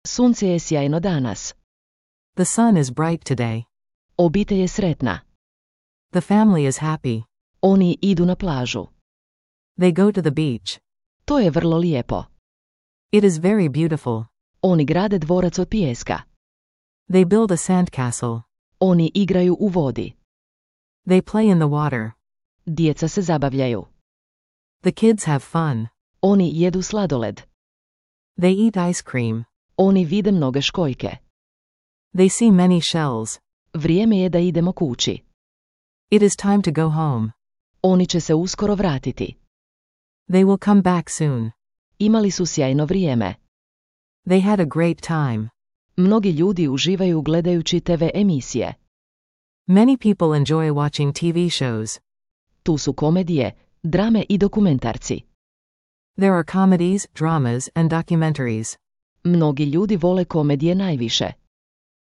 Sunce je sjajno danas. The sun is bright today. Obitelj je sretna. The family is happy. Oni idu na plažu. They go to the beach. To je vrlo lijepo. It is very beautiful. Oni grade dvorac od pijeska. They build a sandcastle. Oni igraju u vodi. They play in the water. Djeca se zabavljaju. The kids have fun. Oni jedu sladoled. They eat ice cream. Oni vide mnoge školjke. They see many shells. Vrijeme je da idemo kući. It is time to go home. Oni će se uskoro vratiti. They will come back soon. Imali su sjajno vrijeme. They had a great time. Mnogi ljudi uživaju gledajući TV emisije. Many people enjoy watching TV shows. Tu su komedije, drame i dokumentarci. There are comedies, dramas, and documentaries. Mnogi ljudi vole komedije najviše.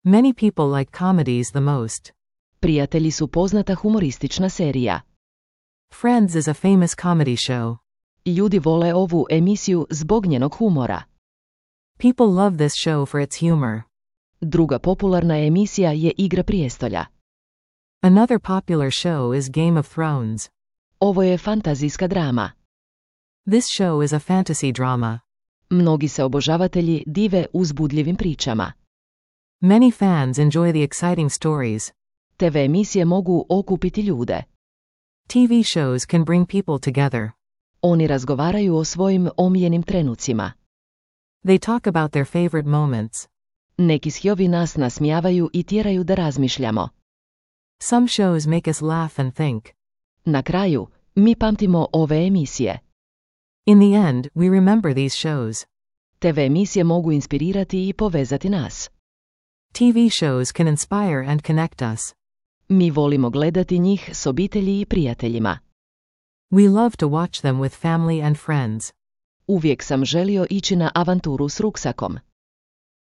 Many people like comedies the most. Prijatelji su poznata humoristična serija. Friends is a famous comedy show. Ljudi vole ovu emisiju zbog njenog humora. People love this show for its humor. Druga popularna emisija je Igra prijestolja. Another popular show is Game of Thrones. Ovo je fantazijska drama. This show is a fantasy drama. Mnogi se obožavatelji dive uzbudljivim pričama. Many fans enjoy the exciting stories. TV emisije mogu okupiti ljude. TV shows can bring people together. Oni razgovaraju o svojim omiljenim trenucima. They talk about their favorite moments. Neki shjovi nas nasmijavaju i tjeraju da razmišljamo. Some shows make us laugh and think. Na kraju, mi pamtimo ove emisije. In the end, we remember these shows. TV emisije mogu inspirirati i povezati nas. TV shows can inspire and connect us. Mi volimo gledati njih s obitelji i prijateljima. We love to watch them with family and friends. Uvijek sam želio ići na avanturu s ruksakom.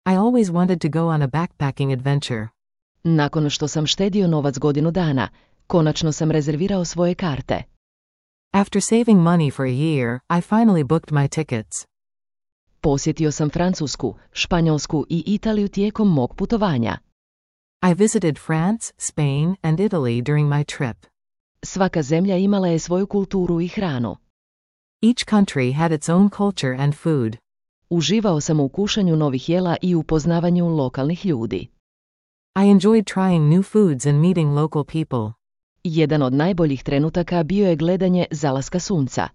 I always wanted to go on a backpacking adventure. Nakon što sam štedio novac godinu dana, konačno sam rezervirao svoje karte. After saving money for a year, I finally booked my tickets. Posjetio sam Francusku, Španjolsku i Italiju tijekom mog putovanja. I visited France, Spain, and Italy during my trip. Svaka zemlja imala je svoju kulturu i hranu. Each country had its own culture and food. Uživao sam u kušanju novih jela i upoznavanju lokalnih ljudi. I enjoyed trying new foods and meeting local people. Jedan od najboljih trenutaka bio je gledanje zalaska sunca.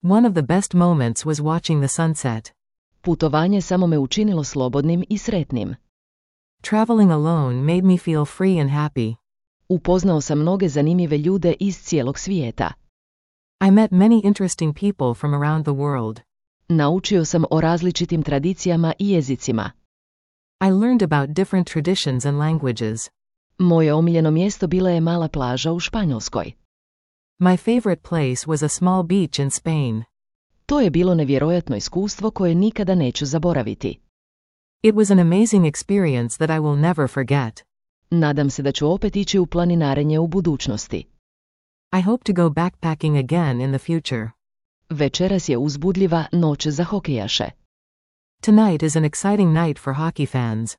One of the best moments was watching the sunset. Putovanje samo me učinilo slobodnim i sretnim. Traveling alone made me feel free and happy. Upoznao sam mnoge zanimljive ljude iz cijelog svijeta. I met many interesting people from around the world. Naučio sam o različitim tradicijama i jezicima. I learned about different traditions and languages. Moje omiljeno mjesto bila je mala plaža u Španjolskoj. My favorite place was a small beach in Spain. To je bilo nevjerojatno iskustvo koje nikada neću zaboraviti. It was an amazing experience that I will never forget. Nadam se da ću opet ići u planinarenje u budućnosti. I hope to go backpacking again in the future. Večeras je uzbudljiva noć za hokejaše. Tonight is an exciting night for hockey fans.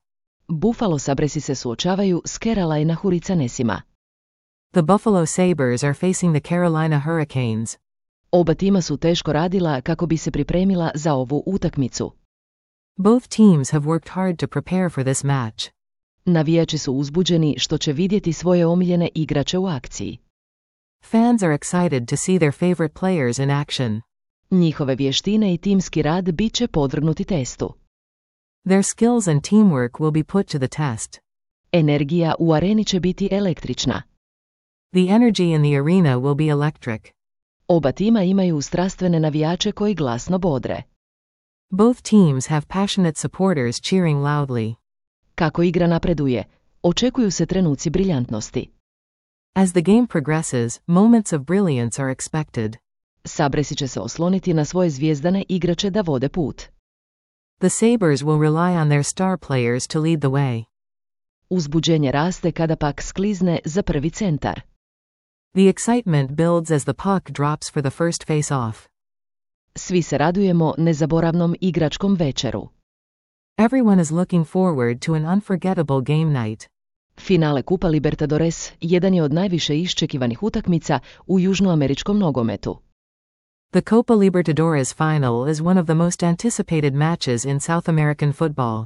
Buffalo Sabresi se suočavaju s Carolina Hurricanesima. The Buffalo Sabres are facing the Carolina Hurricanes. Oba tima su teško radila kako bi se pripremila za ovu utakmicu. Both teams have worked hard to prepare for this match. Navijači su uzbuđeni što će vidjeti svoje omiljene igrače u akciji. Fans are excited to see their favorite players in action. Njihove vještine i timski rad bit će podvrgnuti testu. Their skills and teamwork will be put to the test. Energija u areni će biti električna. The energy in the arena will be electric. Oba tima imaju strastvene navijače koji glasno bodre. Both teams have passionate supporters cheering loudly. Kako igra napreduje, očekuju se trenuci briljantnosti. As the game progresses, moments of brilliance are expected. Sabresi će se osloniti na svoje zvijezdane igrače da vode put. The Sabres will rely on their star players to lead the way. Uzbuđenje raste kada pak sklizne za prvi centar. The excitement builds as the puck drops for the first face-off. Svi se radujemo nezaboravnom igračkom večeru. Everyone is looking forward to an unforgettable game night. Finale Kupa Libertadores jedan je od najviše iščekivanih utakmica u južnoameričkom nogometu. The Copa Libertadores final is one of the most anticipated matches in South American football.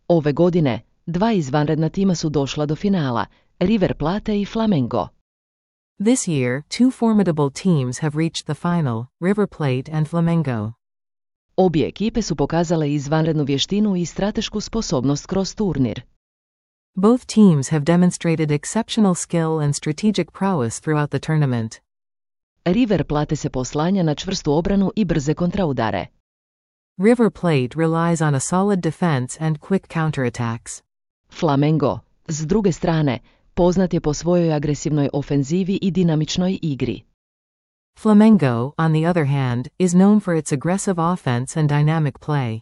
Ove godine, dva izvanredna tima su došla do finala, River Plate i Flamengo. This year, two formidable teams have reached the final, River Plate and Flamengo. Obje ekipe su pokazale izvanrednu vještinu i stratešku sposobnost kroz turnir. Both teams have demonstrated exceptional skill and strategic prowess throughout the tournament. River Plate se poslanja na čvrstu obranu i brze kontraudare. River Plate relies on a solid defense and quick counterattacks. Flamengo, s druge strane, poznat je po svojoj agresivnoj ofenzivi i dinamičnoj igri. Flamengo, on the other hand, is known for its aggressive offense and dynamic play.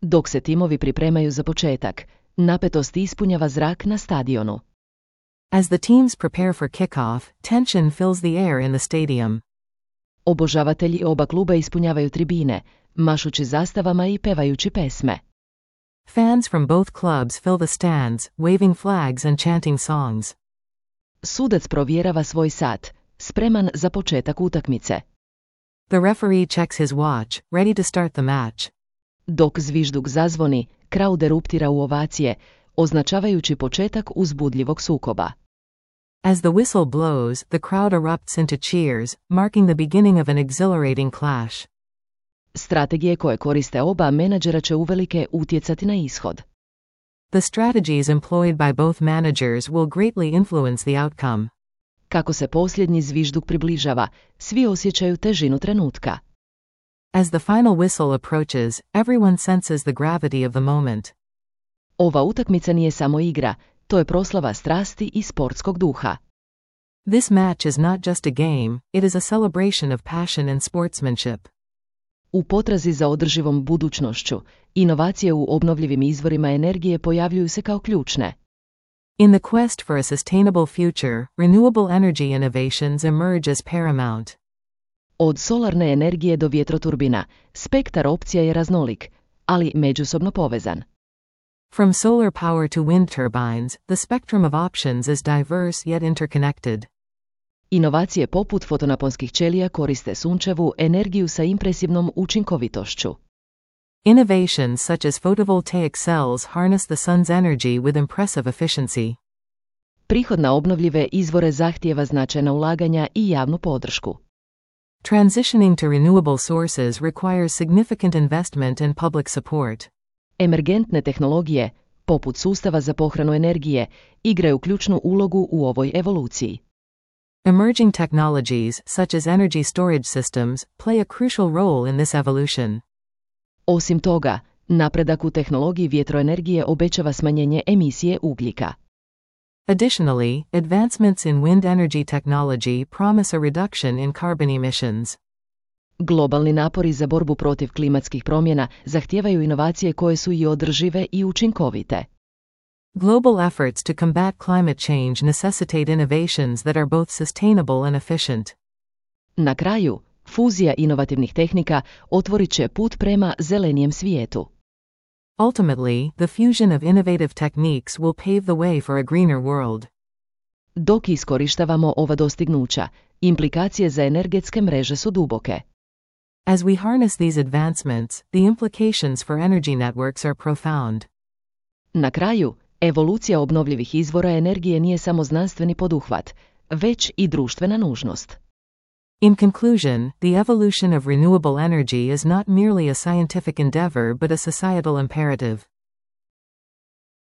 Dok se timovi pripremaju za početak, napetost ispunjava zrak na stadionu. As the teams prepare for kickoff, tension fills the air in the stadium. Obožavatelji oba kluba ispunjavaju tribine, mašući zastavama i pevajući pesme. Fans from both clubs fill the stands, waving flags and chanting songs. Sudac provjerava svoj sat, spreman za početak utakmice. The referee checks his watch, ready to start the match. Dok zvižduk zazvoni, crowd eruptira u ovacije, označavajući početak uzbudljivog sukoba. As the whistle blows, the crowd erupts into cheers, marking the beginning of an exhilarating clash. Strategije koje koriste oba menadžera će uvelike utjecati na ishod. The strategies employed by both managers will greatly influence the outcome. Kako se posljednji zvižduk približava, svi osjećaju težinu trenutka. As the final whistle approaches, everyone senses the gravity of the moment. Ova utakmica nije samo igra, to je proslava strasti i sportskog duha. This match is not just a game, it is a celebration of passion and sportsmanship. U potrazi za održivom budućnošću, inovacije u obnovljivim izvorima energije pojavljuju se kao ključne. In the quest for a sustainable future, renewable energy innovations emerge as paramount. Od solarne energije do vjetroturbina, spektar opcija je raznolik, ali međusobno povezan. From solar power to wind turbines, the spectrum of options is diverse yet interconnected. Inovacije poput fotonaponskih ćelija koriste sunčevu energiju sa impresivnom učinkovitošću. Innovations such as photovoltaic cells harness the sun's energy with impressive efficiency. Prihod na obnovljive izvore zahtijeva značajna ulaganja i javnu podršku. Transitioning to renewable sources requires significant investment and public support. Emergentne tehnologije, poput sustava za pohranu energije, igraju ključnu ulogu u ovoj evoluciji. Emerging technologies, such as energy storage systems, play a crucial role in this evolution. Osim toga, napredak u tehnologiji vjetroenergije obećava smanjenje emisije ugljika. Additionally, advancements in wind energy technology promise a reduction in carbon emissions. Globalni napori za borbu protiv klimatskih promjena zahtijevaju inovacije koje su i održive i učinkovite. Global efforts to combat climate change necessitate innovations that are both sustainable and efficient. Na kraju, fuzija inovativnih tehnika otvorit će put prema zelenijem svijetu. Ultimately, the fusion of innovative techniques will pave the way for a greener world. Dok iskorištavamo ova dostignuća, implikacije za energetske mreže su duboke. As we harness these advancements, the implications for energy networks are profound. Na kraju, evolucija obnovljivih izvora energije nije samo znanstveni poduhvat, već i društvena nužnost. In conclusion, the evolution of renewable energy is not merely a scientific endeavor but a societal imperative.